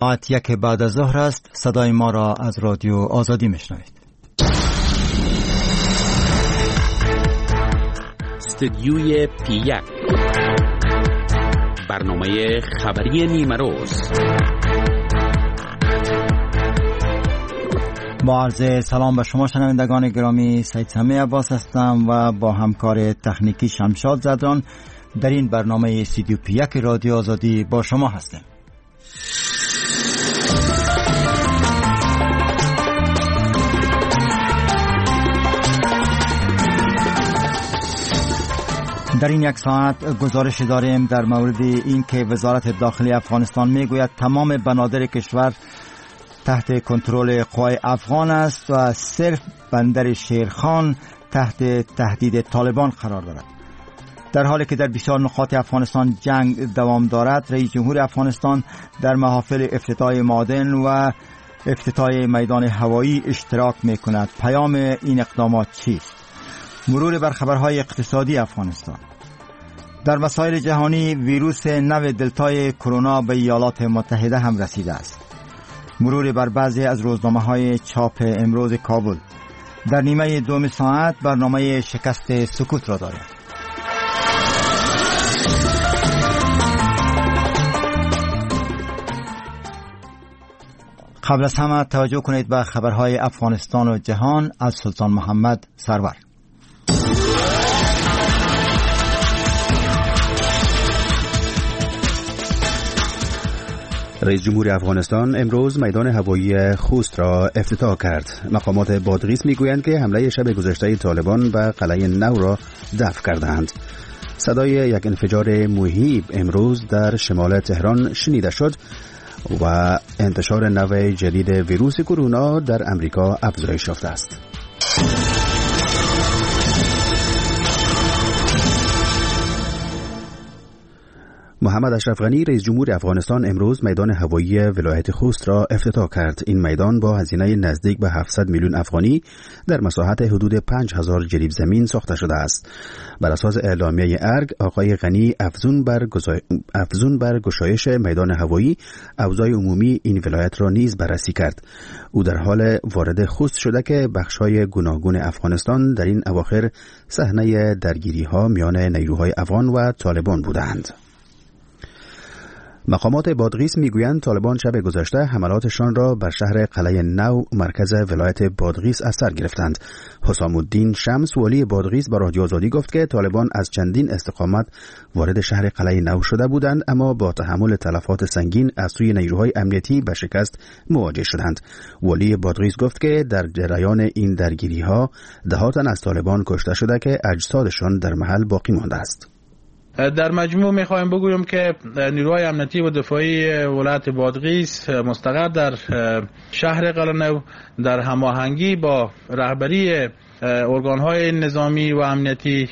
ساعت 1 بعد از ظهر است. صدای ما را از رادیو آزادی میشنوید. استودیوی پی 1، برنامه خبری نیمه روز. با عرض سلام به شما شنوندگان گرامی، سید سمیع عباس هستم و با همکار تکنیکی شمشاد زدران در این برنامه استودیو پی 1 رادیو آزادی با شما هستم. در این یک ساعت گزارش داریم در مورد اینکه وزارت داخلی افغانستان میگوید تمام بنادر کشور تحت کنترل قوای افغان است و صرف بندر شیرخان تحت تهدید طالبان قرار دارد. در حالی که در بسیار نقاط افغانستان جنگ دوام دارد، رئیس جمهور افغانستان در محافل افتتاح معادن و افتتاح میدان هوایی اشتراک میکند. پیام این اقدامات چیست؟ مرور بر خبرهای اقتصادی افغانستان. در مسائل جهانی، ویروس نو دلتای کرونا به ایالات متحده هم رسیده است. مرور بر بعضی از روزنامه‌های چاپ امروز کابل. در نیمه دوم ساعت برنامه شکست سکوت را داریم. قبل از همه توجه کنید به خبرهای افغانستان و جهان از سلطان محمد سرور. رئیس جمهور افغانستان امروز میدان هوایی خوست را افتتاح کرد. مقامات بادغیس میگویند که حمله شب گذشته طالبان به قلعه نو را دفع کردند. صدای یک انفجار مهیب امروز در شمال تهران شنیده شد و انتشار نوع جدید ویروس کرونا در امریکا افزایش یافته است. محمد اشرف غنی رئیس جمهور افغانستان امروز میدان هوایی ولایت خوست را افتتاح کرد. این میدان با هزینه نزدیک به 700 میلیون افغانی در مساحت حدود 5000 جریب زمین ساخته شده است. بر اساس اعلامیه ارگ، آقای غنی افزون بر گشایش میدان هوایی، اوضاع عمومی این ولایت را نیز بررسی کرد. او در حال وارد خوست شده که بخش‌های گوناگون افغانستان در این اواخر صحنه درگیری‌ها میان نیروهای افغان و طالبان بودند. مقامات بادغیس میگویند طالبان شب گذشته حملاتشان را بر شهر قلعه نو مرکز ولایت بادغیس از سر گرفتند. حسام الدین شمس والی بادغیس با رادیو آزادی گفت که طالبان از چندین استقامت وارد شهر قلعه نو شده بودند، اما با تحمل تلفات سنگین از سوی نیروهای امنیتی به شکست مواجه شدند. والی بادغیس گفت که در جریان این درگیری‌ها ده تن از طالبان کشته شده که اجسادشان در محل باقی مانده است. در مجموع میخوایم بگویم که نیروهای امنیتی و دفاعی ولایت بادغیس مستقر در شهر قلعه نو در هماهنگی با رهبری ارگان‌های نظامی و امنیتی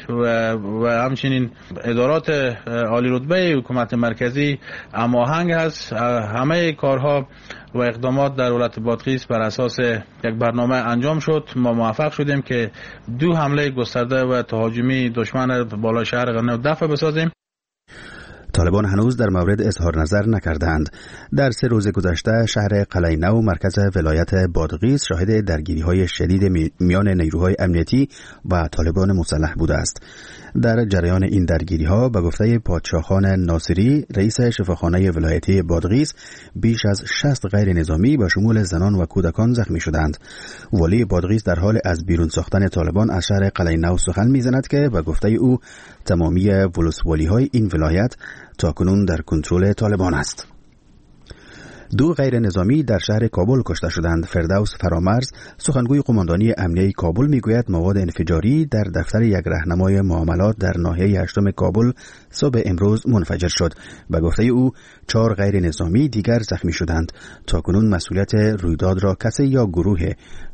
و همچنین ادارات عالی رتبه حکومت مرکزی هماهنگ است. همه کارها و اقدامات در ولایت بادغیس بر اساس یک برنامه انجام شد. ما موفق شدیم که 2 حمله گسترده و تهاجمی دشمن بالای شهر قلعه نو دفع بسازیم. طالبان هنوز در مورد اظهار نظر نکردند. در 3 روز گذشته شهر قلعه نو مرکز ولایت بادغیس شاهد درگیری‌های شدید میان نیروهای امنیتی و طالبان مسلح بوده است. در جریان این درگیری‌ها به گفته پادشاهخان ناصری رئیس شفاخانه ولایتی بادغیس بیش از 60 غیر نظامی به شمول زنان و کودکان زخمی شدند. والی بادغیس در حال از بیرون ساختن طالبان از شهر قلعه نو سخن میزند که به گفته او تمامی ولسوالی‌های این ولایت تاکنون در کنترل طالبان است. 2 غیر نظامی در شهر کابل کشته شدند. فردوس فرامرز سخنگوی قماندانی امنیه کابل میگوید مواد انفجاری در دفتر یک رهنمای معاملات در ناحیه 8 کابل صبح امروز منفجر شد. به گفته او 4 غیر نظامی دیگر زخمی شدند. تاکنون مسئولیت رویداد را کسی یا گروه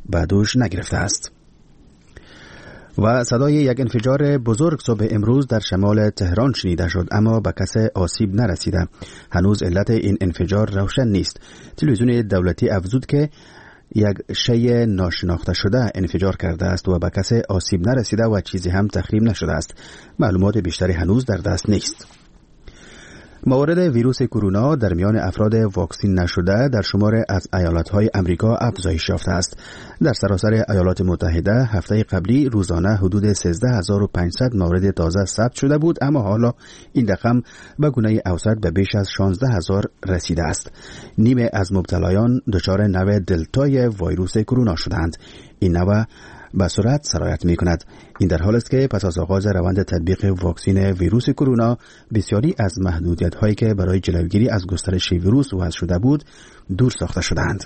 به دوش نگرفته است. و صدای یک انفجار بزرگ صبح امروز در شمال تهران شنیده شد، اما به کس آسیب نرسیده. هنوز علت این انفجار روشن نیست. تلویزیون دولتی افزود که یک شی ناشناخته شده انفجار کرده است و به کس آسیب نرسیده و چیزی هم تخریب نشده است. معلومات بیشتری هنوز در دست نیست. موارد ویروس کرونا در میان افراد واکسین نشده در شمار از ایالت‌های امریکا افزایش یافته است. در سراسر ایالات متحده هفته قبلی روزانه حدود 13500 مورد تازه ثبت شده بود، اما حالا این رقم به گونه اوسط به بیش از 16000 رسیده است. نیمه از مبتلایان دچار نوع دلتای ویروس کرونا شدند. این نوع به سرعت سرایت می کند. این در حال است که پس از آغاز روند تطبیق واکسین ویروس کرونا بسیاری از محدودیت هایی که برای جلوگیری از گسترش ویروس وضع شده بود دور ساخته شدند.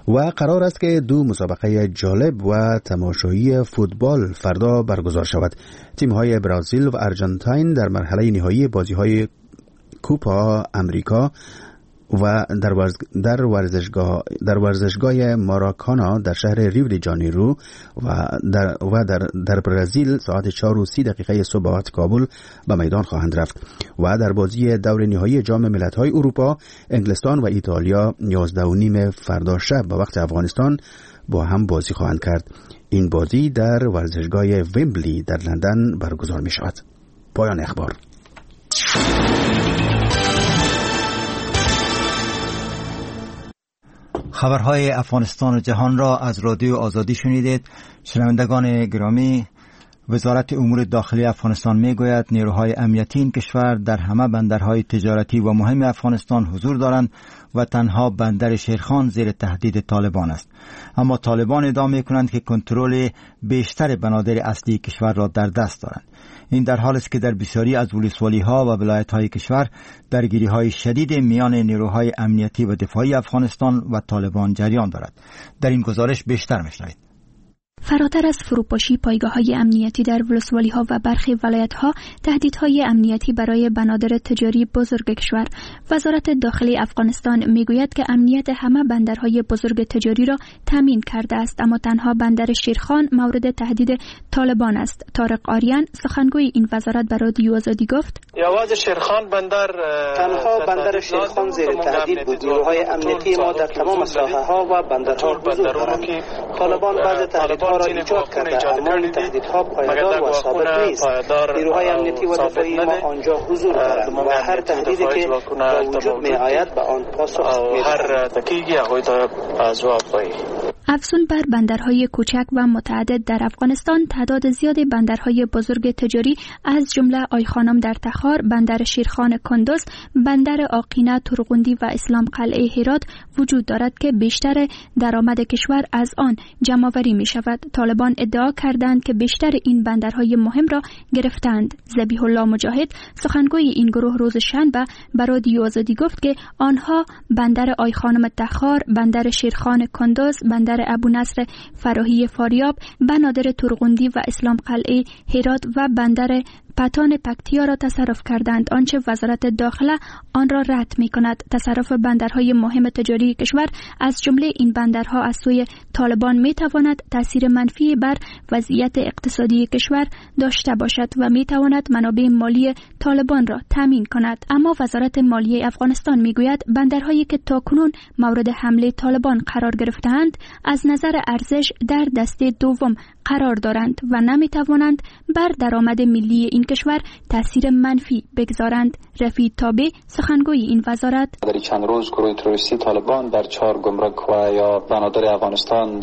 و قرار است که دو مسابقه جالب و تماشایی فوتبال فردا برگزار شود. تیم های برزیل و ارژانتین در مرحله نهایی بازی های کوپا امریکا و در ورزشگاه ماراکانا در شهر ریو دی ژانیرو و در برزیل ساعت 4:30 صبح وقت کابل به میدان خواهند رفت. و در بازی دور نهایی جام ملت‌های اروپا انگلستان و ایتالیا 11:30 فردا شب به وقت افغانستان با هم بازی خواهند کرد. این بازی در ورزشگاه ویمبلی در لندن برگزار می شود. پایان اخبار. خبرهای افغانستان و جهان را از رادیو آزادی شنیدید. شنوندگان گرامی، وزارت امور داخلی افغانستان میگوید نیروهای امنیتی این کشور در همه بندرهای تجارتی و مهم افغانستان حضور دارند و تنها بندر شیرخان زیر تهدید طالبان است. اما طالبان ادعا میکنند که کنترل بیشتر بنادر اصلی کشور را در دست دارند. این در حال است که در بسیاری از ولسوالی‌ها و ولایت‌های کشور درگیری‌های شدید میان نیروهای امنیتی و دفاعی افغانستان و طالبان جریان دارد. در این گزارش بیشتر میشنوید. فراتر از فروپاشی پایگاه‌های امنیتی در ولسوالی‌ها و برخی ولایت‌ها، تهدیدهای امنیتی برای بنادر تجاری بزرگ کشور. وزارت داخلی افغانستان میگوید که امنیت همه بندرهای بزرگ تجاری را تامین کرده است، اما تنها بندر شیرخان مورد تهدید طالبان است. طارق آریان، سخنگوی این وزارت، به رادیو آزادی گفت: تنها بندر شیرخان زیر تهدید بود. نیروهای امنیتی ما در تمام ساحه‌ها و بندرها حضور دارند. طالبان بعض تهدیدها را ایجاد کرده، اما این تهدیدها پایدار و ثابت نیست. نیروهای امنیتی و دفاعی ما آنجا حضور دارند و هر تهدیدی که به وجود می آید به آن پاسخ می‌دهند. افزون بر بندرهای کوچک و متعدد در افغانستان، تعداد زیاد بندرهای بزرگ تجاری از جمله آیخانم در تخار، بندر شیرخان کندز، بندر آقینه ترغندی و اسلام قلعه هرات وجود دارد که بیشتر درآمد کشور از آن جمع‌آوری می شود. طالبان ادعا کردند که بیشتر این بندرهای مهم را گرفتند. ذبیح الله مجاهد، سخنگوی این گروه، روز شنبه به رادیو آزادی گفت که آنها بندر آیخانم تخار، بندر شیرخان کندز، بندر ابو نصر فراهی فاریاب، بنادر ترغندی و اسلام قلعه هرات و بندر پتان پکتیا را تصرف کردند، آنچه وزارت داخله آن را رد می کند. تصرف بندرهای مهم تجاری کشور از جمله این بندرها از سوی طالبان می تواند تاثیر منفی بر وضعیت اقتصادی کشور داشته باشد و می تواند منابع مالی طالبان را تامین کند. اما وزارت مالیه افغانستان می گوید بندرهایی که تاکنون مورد حمله طالبان قرار گرفته‌اند از نظر ارزش در دسته دوم قرار دارند و نمی توانند بر درآمد ملی این کشور تاثیر منفی بگذارند. رفیع تابع، سخنگوی این وزارت: در چند روز گروه تروریستی طالبان در 4 گمرک و یا بنادر افغانستان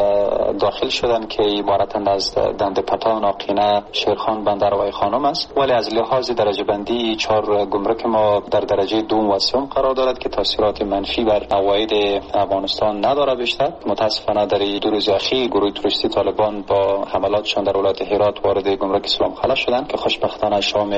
داخل شدند که عبارتند از دند پتان، آقینه، شیرخان، بندر و خانم است. ولی از لحاظ درجه بندی 4 گمرک ما در درجه دوم و سوم قرار دارد که تاثیرات منفی بر عواید افغانستان ندارد. بیشتر متاسفانه در دو روز اخیر گروه تروریستی طالبان با حملاتشان در ولایت هرات وارد گمرک اسلام قلعه شدند که خوشبختانه شام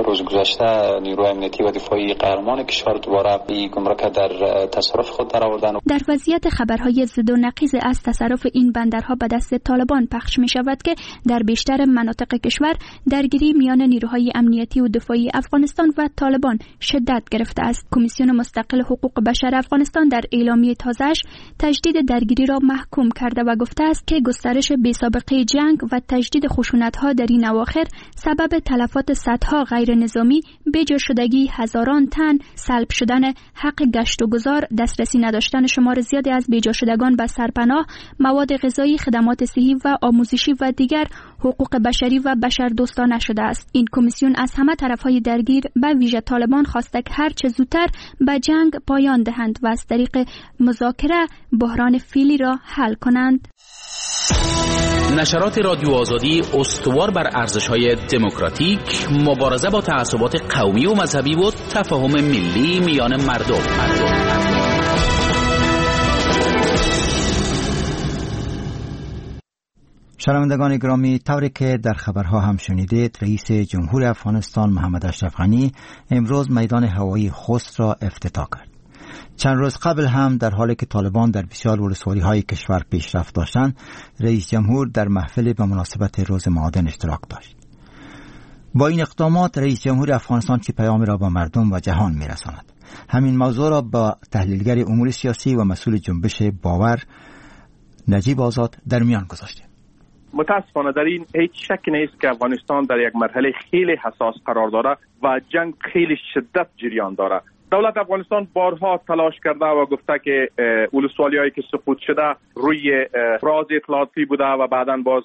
روز گذشته نیروی امنیتی و دفاعی قهرمان کشور دوباره این گمرک در تصرف خود درآوردند. در وضعیت خبرهای ضد و نقیض از تصرف این بندرها به دست طالبان پخش می شود که در بیشتر مناطق کشور درگیری میان نیروهای امنیتی و دفاعی افغانستان و طالبان شدت گرفته است. کمیسیون مستقل حقوق بشر افغانستان در اعلامیه تازه‌اش تجدید درگیری را محکوم کرده و گفته است که گسترش بی‌سابقه جنگ و تجدید خشونت‌ها در این اواخر سبب تلفات صدها غیر نظامی، بیجا شدگی هزاران تن، سلب شدن حق گشت و گذار، دسترسی نداشتن شمار زیادی از بیجا شدگان به سرپناه، مواد غذایی، خدمات صحی و آموزشی و دیگر حقوق بشری و بشردوستانه شده است. این کمیسیون از همه طرف‌های درگیر به ویژه طالبان خواسته که هر چه زودتر به جنگ پایان دهند و از طریق مذاکره بحران فعلی را حل کنند. نشرات رادیو آزادی استوار بر ارزش‌های دموکراتیک، مبارزه با تعصبات قومی و مذهبی و تفاهم ملی میان مردم. شنوندگان گرامی، طوری که در خبرها هم شنیدید، رئیس جمهور افغانستان محمد اشرف غنی امروز میدان هوایی خوست را افتتاح کرد. چند روز قبل هم در حالی که طالبان در بسیار ولسوالی‌های کشور پیشرفت داشتند، رئیس جمهور در محفل به مناسبت روز معادن اشتراک داشت. با این اقدامات رئیس جمهور افغانستان چه پیامی را به مردم و جهان می‌رساند؟ همین موضوع را با تحلیلگر امور سیاسی و مسئول جنبش باور نجیب آزاد در میان گذاشتیم. متاسفانه در این هیچ شک نیست که افغانستان در یک مرحله خیلی حساس قرار داره و جنگ خیلی شدت جریان داره. دولت افغانستان بارها تلاش کرده و گفته که ولسوالی‌هایی که سقوط شده روی راز اطلاعاتی بوده و بعداً باز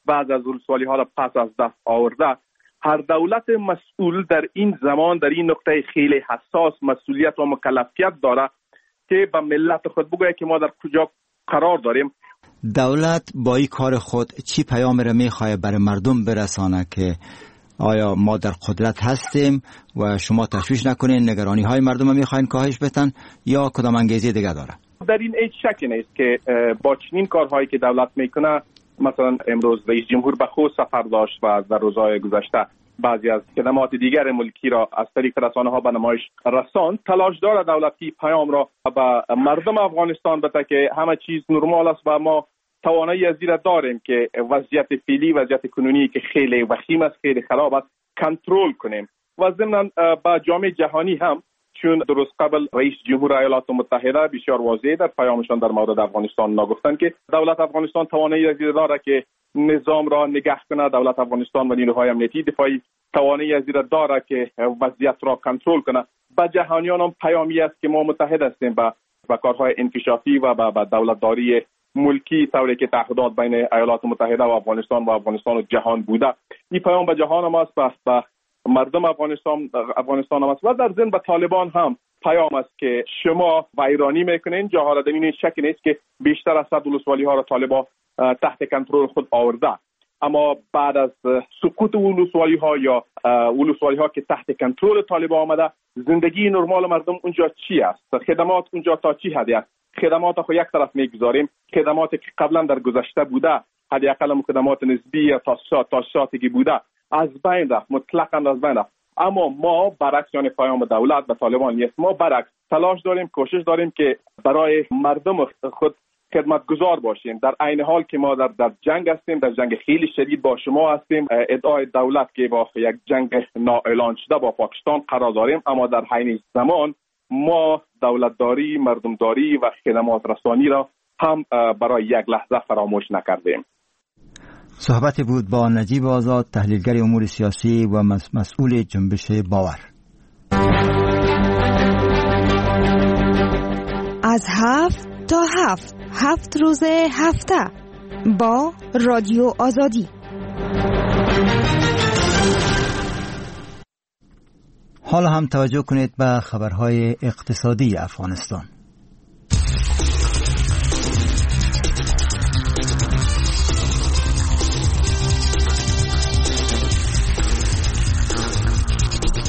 بعض از ولسوالی‌ها را پس از دست آورده. هر دولت مسئول در این زمان، در این نقطه خیلی حساس، مسئولیت و مکلفیت داره که به ملت خود بگوید که ما در کجا قرار داریم. دولت با این کار خود چی پیام را میخواد برای مردم برسانه که آیا ما در قدرت هستیم و شما تشویش نکنین، نگرانی های مردم را میخواین کاهش بدن، یا کدام انگیزه دیگه داره؟ در این هیچ شکی نیست که با چنین کارهایی که دولت میکنه، مثلا امروز رئیس جمهور به خوست سفر داشت و در روزهای گذشته بعضی از خدمات دیگر ملکی را از طریق رسانه ها به نمایش رساند، تلاش داره دولتی پیام را به مردم افغانستان بده که همه چیز نرمال است و ما توانایی از این را داریم که وضعیت فعلی، وضعیت کنونی که خیلی وخیم است، خیلی خراب است، کنترل کنیم. و ضمناً به جامعه جهانی هم، چون درست قبل رئیس جمهور ایالات متحده بسیار واضح در پیامشان در مورد افغانستان نگفتند که دولت افغانستان توانایی از این داره که نظام را نگه کنه، دولت افغانستان و نیروهای امنیتی دفاعی توانایی از این داره که وضعیت را کنترل کنه. به جهانیان هم پیامی است که ما متحد هستیم به کارهای انکشافی و به دولتداری ملکی، طوری که تعهدات بین ایالات متحده و افغانستان و افغانستان و جهان بوده. این پیام به جهان هم است، به مردم افغانستان هم است و در ضمن به طالبان هم پیام است که شما ویرانی میکنین. جاها در این شک نیست که بیشتر از 100 ولسوالی ها را طالبان تحت کنترل خود آورده، اما بعد از سقوط ولسوالی ها یا ولسوالی ها که تحت کنترل طالبان آمده، زندگی نرمال مردم اونجا چی است؟ خدمات اونجا تا چی حدی است؟ خدمات خو یک طرف میگذاریم، خدماتی که قبلا در گذشته بوده، حداقل خدمات نسبی یا تاسیساتی که بوده از بین رفت، مطلقاً از بین رفت. اما ما برعکس، یعنی پیام دولت به طالبان نیست، ما برعکس تلاش داریم، کوشش داریم که برای مردم خود خدمتگزار باشیم. در عین حال که ما در جنگ هستیم، در جنگ خیلی شدید با شما هستیم، ادعای دولت که با یک جنگ نااعلان شده با پاکستان قرار داریم، اما در عین زمان ما دولتداری، مردمداری و خدمات رسانی را هم برای یک لحظه فراموش نکردیم. صحبت بود با نجیب آزاد، تحلیلگر امور سیاسی و مسئول جنبش باور. از 7 تا 7، 7 روز هفته با رادیو آزادی. حالا هم توجه کنید به خبرهای اقتصادی افغانستان.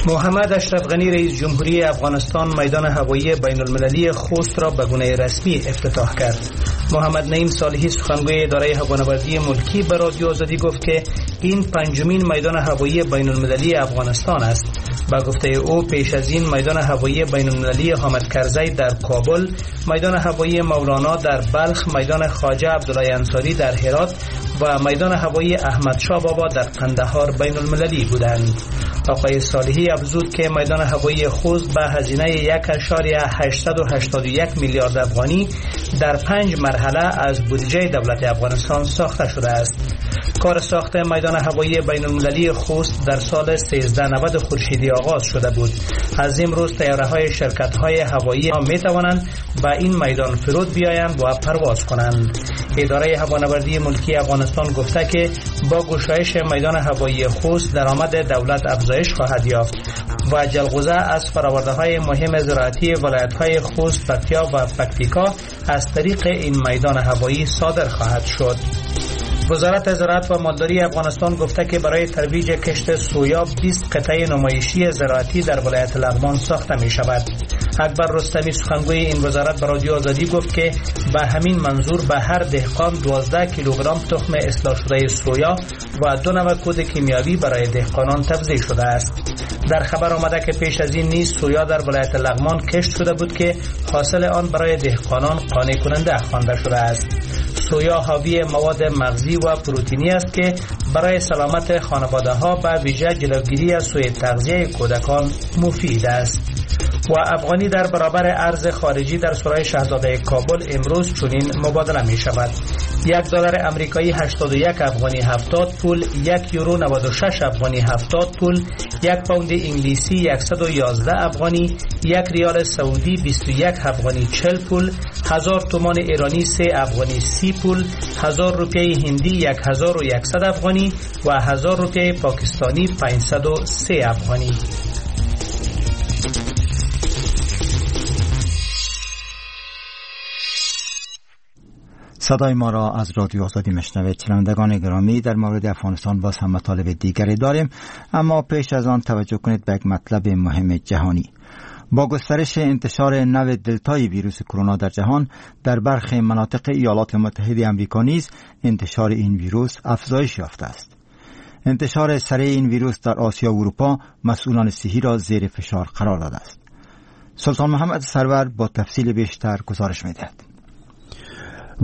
محمد اشرف غنی رئیس جمهوری افغانستان میدان هوایی بین المللی خوست را به گونه رسمی افتتاح کرد. محمد نعیم صالحی سخنگوی اداره هوانوردی ملکی به رادیو آزادی گفت که این پنجمین میدان هوایی بین المللی افغانستان است. با گفته او پیش از این میدان هوایی بین المللی حامد کرزی در کابل، میدان هوایی مولانا در بلخ، میدان خواجه عبدالله انصاری در هرات و میدان هوایی احمد شاه بابا در قندهار بین المللی بودند. آقای صالحی افزود که میدان هوایی خوست به هزینه 1.881 میلیارد افغانی در 5 مرحله از بودجه دولت افغانستان ساخته شده است. کار ساخت میدان هوایی بین المللی خوست در سال 1390 خورشیدی آغاز شده بود. از امروز طیاره های شرکت های هوایی می توانند به این میدان فرود بیایند و پرواز کنند. اداره هوانوردی ملکی افغانستان گفته که با گشایش میدان هوایی خوست درآمد دولت افزایش خواهد یافت و جلغوزه از فرآورده‌های مهم زراعتی ولایت‌های خوست، پکتیا و پکتیکا از طریق این میدان هوایی صادر خواهد شد. وزارت زراعت و مالداری افغانستان گفته که برای ترویج کشت سویا 20 قطعه نمایشی زراعتی در ولایت لغمان ساخته می شود. اکبر رستمی سخنگوی این وزارت به رادیو آزادی گفت که به همین منظور به هر دهقان 12 کیلوگرم تخم اصلاح شده سویا و 2 نوع کود کیمیاوی برای دهقانان توزیع شده است. در خبر آمده که پیش از این نیز سویا در ولایت لغمان کشت شده بود که حاصل آن برای دهقانان قانع کننده خوانده شده است. سویا حاوی مواد مغزی و پروتئینی است که برای سلامت خانواده ها به ویژه جلوگیری از سوء تغذیه کودکان مفید است. و افغانی در برابر ارز خارجی در سرای شهزاده کابل امروز چنین مبادله می شود: $1 امریکایی 81 افغانی 70 پول، 1 یورو 96 افغانی 70 پول، 1 پوند انگلیسی 111 افغانی، 1 ریال سعودی 21 افغانی 40 پول، 1000 تومان ایرانی 3 افغانی 30 پول، 1000 روپیه هندی 1100 افغانی و 1000 روپیه پاکستانی 503 افغانی. صدای ما را از رادیو آزادی میشنوید. شنوندگان گرامی، در مورد افغانستان باز هم مطالب دیگری داریم، اما پیش از آن توجه کنید به یک مطلب مهم جهانی. با گسترش انتشار نوع دلتای ویروس کرونا در جهان، در برخی مناطق ایالات متحده آمریکا نیز انتشار این ویروس افزایش یافته است. انتشار سریع این ویروس در آسیا و اروپا مسئولان صحی را زیر فشار قرار داده است. سلطان محمد سرور با تفصیل بیشتر گزارش می‌دهد.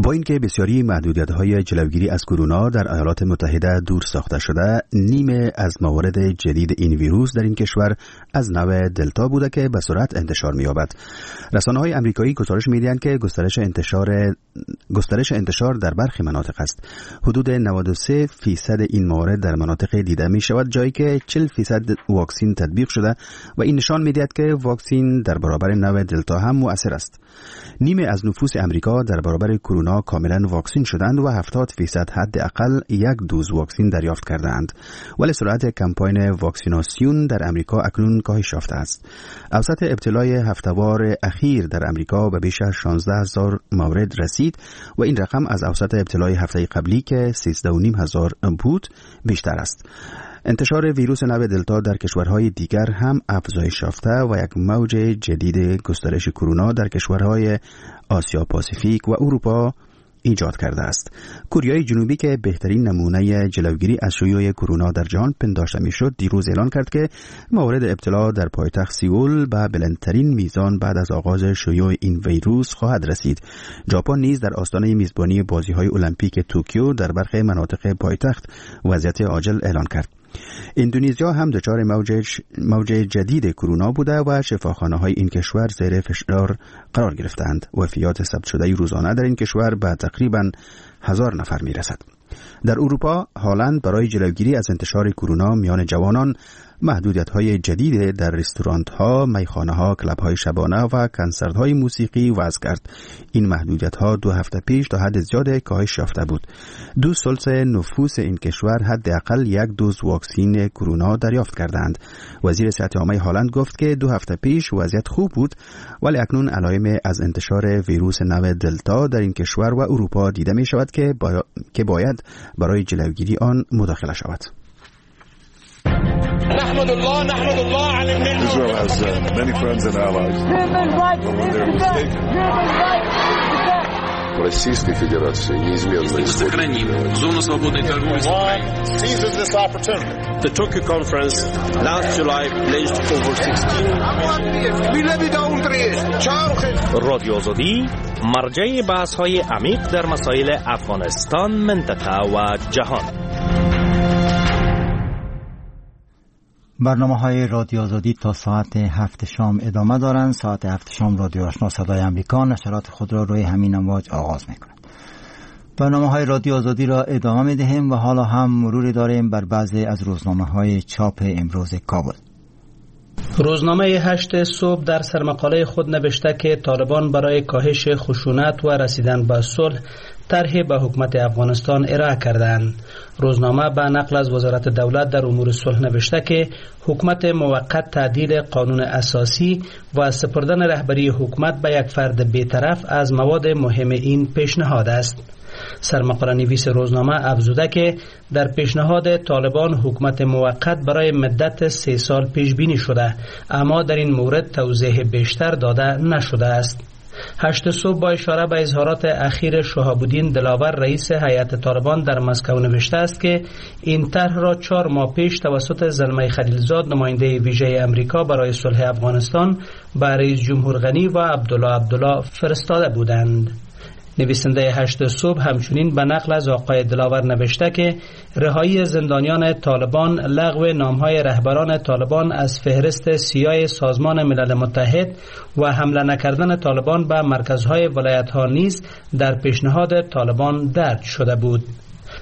با اینکه بسیاری محدودیت‌های جلوگیری از کرونا در ایالات متحده دور ساخته شده، نیمه از موارد جدید این ویروس در این کشور از نوع دلتا بوده که به سرعت انتشار می‌یابد. رسانه‌های آمریکایی گزارش می‌دهند که گسترش انتشار در برخی مناطق است. حدود 93% این موارد در مناطق دیده می‌شود جایی که 40% واکسن تطبیق شده و این نشان می‌دهد که واکسن در برابر نوع دلتا هم مؤثر است. نیمه از نفوس آمریکا در برابر کرونا کاملا واکسین شدند و 70% حداقل یک دوز واکسن دریافت کردند. ولی سرعت کمپاین واکسیناسیون در آمریکا اکنون کاهش یافته است. اوسط ابتلای هفته‌وار اخیر در آمریکا به بیش از 16,000 مورد رسید و این رقم از اوسط ابتلای هفته قبلی که 13,500 بود بیشتر است. انتشار ویروس نوع دلتا در کشورهای دیگر هم افزایش یافته و یک موج جدید گسترش کرونا در کشورهای آسیا پاسیفیک و اروپا ایجاد کرده است. کوریای جنوبی که بهترین نمونه جلوگیری از شیوع کرونا در جهان پنداشته میشد، دیروز اعلان کرد که موارد ابتلا در پایتخت سئول به بلندترین میزان بعد از آغاز شیوع این ویروس خواهد رسید. ژاپن نیز در آستانه میزبانی بازی‌های المپیک توکیو در برخی مناطق پایتخت وضعیت عاجل اعلان کرد. اندونزیا هم دچار موج جدید کرونا بوده و شفاخانه‌های این کشور زیر فشار قرار گرفتند. وفیات ثبت شده روزانه در این کشور به تقریباً 1000 نفر میرسد. در اروپا، هالند برای جلوگیری از انتشار کرونا میان جوانان محدودیت‌های جدید در رستورانت‌ها، میخانه‌ها، کلاب‌های شبانه و کنسرت‌های موسیقی وضع کرد. این محدودیت‌ها 2 هفته پیش تا حد زیاد کاهش یافته بود. 2/3 نفوس این کشور حداقل یک دوز واکسن کرونا دریافت کردند. وزیر صحت عامه هالند گفت که 2 هفته پیش وضعیت خوب بود، ولی اکنون علائم از انتشار ویروس نوع دلتا در این کشور و اروپا دیده می‌شود که باید برای جلوگیری آن مداخله شود. Israel has many friends and allies. But when they're mistaken, Российской Федерации неизменно исходит. Зону свободной торговли с Украиной. The Tokyo conference last July pledged over 16. رادیو آزادی مرجع بحث‌های عمیق در مسائل افغانستان، منطقه و جهان. برنامه های رادیو آزادی تا ساعت 7 شام ادامه دارند. ساعت 7 شام رادیو آشنا صدای آمریکا نشرات خود را روی همین امواج آغاز می کند. برنامه های رادیو آزادی را ادامه می دهیم و حالا هم مروری داریم بر بعضی از روزنامه های چاپ امروز کابل. روزنامه 8 صبح در سرمقاله خود نوشته که طالبان برای کاهش خشونت و رسیدن به صلح طرح به حکومت افغانستان ارائه کردند. روزنامه به نقل از وزارت دولت در امور صلح نوشته که حکومت موقت تعدیل قانون اساسی و سپردن رهبری حکومت به یک فرد بی‌طرف از مواد مهم این پیشنهاد است. سرمقاله نویس روزنامه افزوده که در پیشنهاد طالبان حکومت موقت برای مدت 3 سال پیش بینی شده، اما در این مورد توضیح بیشتر داده نشده است. 8 صبح با اشاره به اظهارات اخیر شهاب الدین دلاور رئیس هیئت طالبان در مسکو نوشته است که این طرح را 4 ماه پیش توسط زلمی خلیلزاد نماینده ویژه امریکا برای صلح افغانستان به رئیس جمهور غنی و عبدالله عبدالله فرستاده بودند. نویسنده 8 صبح همچنین به نقل از آقای دلاور نوشته که رهایی زندانیان طالبان، لغو نامهای رهبران طالبان از فهرست سیاه سازمان ملل متحد و حمله نکردن طالبان به مرکزهای ولایت‌ها نیز در پیشنهاد طالبان درج شده بود.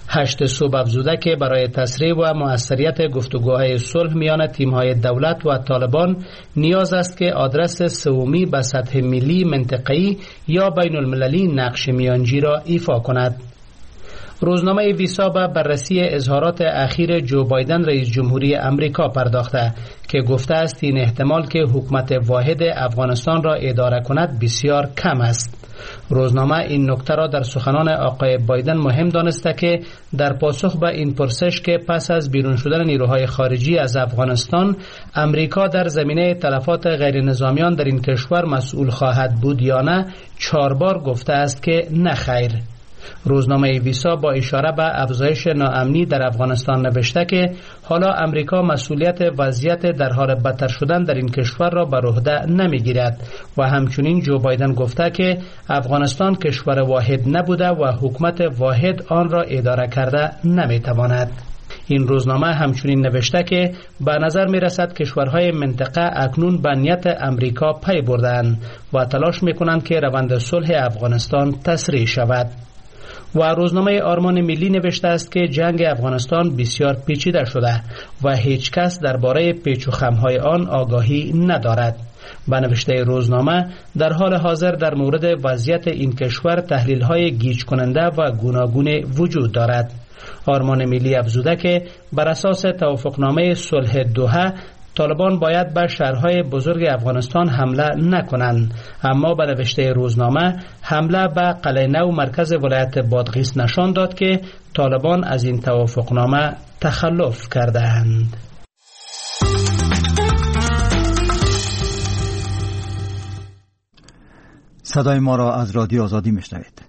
8 صبح افزوده که برای تسریع و مؤثریت گفتگوهای صلح میان تیم‌های دولت و طالبان نیاز است که آدرس سومی به سطح ملی، منطقه‌ای یا بین المللی نقش میانجی را ایفا کند. روزنامه ویسا به بررسی اظهارات اخیر جو بایدن رئیس جمهوری امریکا پرداخته که گفته است این احتمال که حکومت واحد افغانستان را اداره کند بسیار کم است. روزنامه این نکته را در سخنان آقای بایدن مهم دانسته که در پاسخ به این پرسش که پس از بیرون شدن نیروهای خارجی از افغانستان امریکا در زمینه تلفات غیر نظامیان در این کشور مسئول خواهد بود یا نه، 4 بار گفته است که نه خیر. روزنامه ویسا با اشاره به افزایش ناامنی در افغانستان نوشته که حالا امریکا مسئولیت وضعیت در حال بدتر شدن در این کشور را بر عهده نمیگیرد و همچنین جو بایدن گفته که افغانستان کشور واحد نبوده و حکومت واحد آن را اداره کرده نمیتواند. این روزنامه همچنین نوشته که به نظر می رسد کشورهای منطقه اکنون به نیت امریکا پی بردند و تلاش می کنند که روند صلح افغانستان تسریع شود. و روزنامه آرمان ملی نوشته است که جنگ افغانستان بسیار پیچیده شده و هیچ کس درباره پیچ و خم‌های آن آگاهی ندارد. به نوشته روزنامه در حال حاضر در مورد وضعیت این کشور تحلیل‌های گیج کننده و گوناگون وجود دارد. آرمان ملی افزوده که بر اساس توافقنامه صلح دوحه طالبان باید به شهرهای بزرگ افغانستان حمله نکنند، اما به نوشته روزنامه حمله به قلعه نو مرکز ولایت بادغیس نشان داد که طالبان از این توافقنامه تخلف کرده‌اند. صدای ما را از رادیو آزادی میشنوید.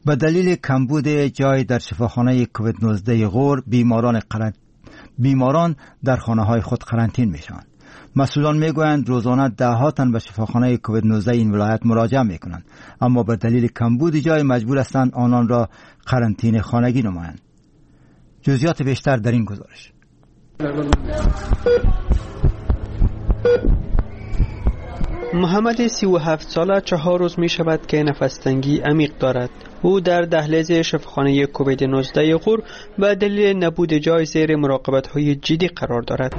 به دلیل کمبود جای در شفاخانه کووید 19 غور، بیماران در خانه های خود قرنطین می شوند. مسئولان می گویند روزانه ده تن به شفاخانه کووید 19 این ولایت مراجعه می کنند، اما به دلیل کمبود جای مجبور هستند آنان را قرنطین خانگی نمایند. جزئیات بیشتر در این گزارش. محمد 37 ساله 4 روز می شود که نفس تنگی عمیق دارد. او در دهلیز شفاخانه کووید 19 غور به دلیل نبود جای زیر مراقبت های جدی قرار دارد.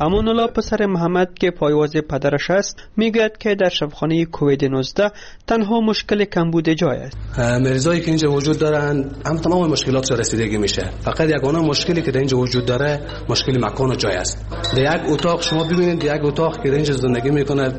امان الله پسر محمد که پایواز پدرش است میگوید که در شفاخانه کووید 19 تنها مشکل کمبود جای است. مریضایی که اینجا وجود دارن هم تمام مشکلات رسیدگی میشه. فقط یگانه مشکلی که در اینجا وجود داره مشکل مکان و جای است. در یک اتاق شما ببینید، در یک اتاق که در اینجا زندگی میکنه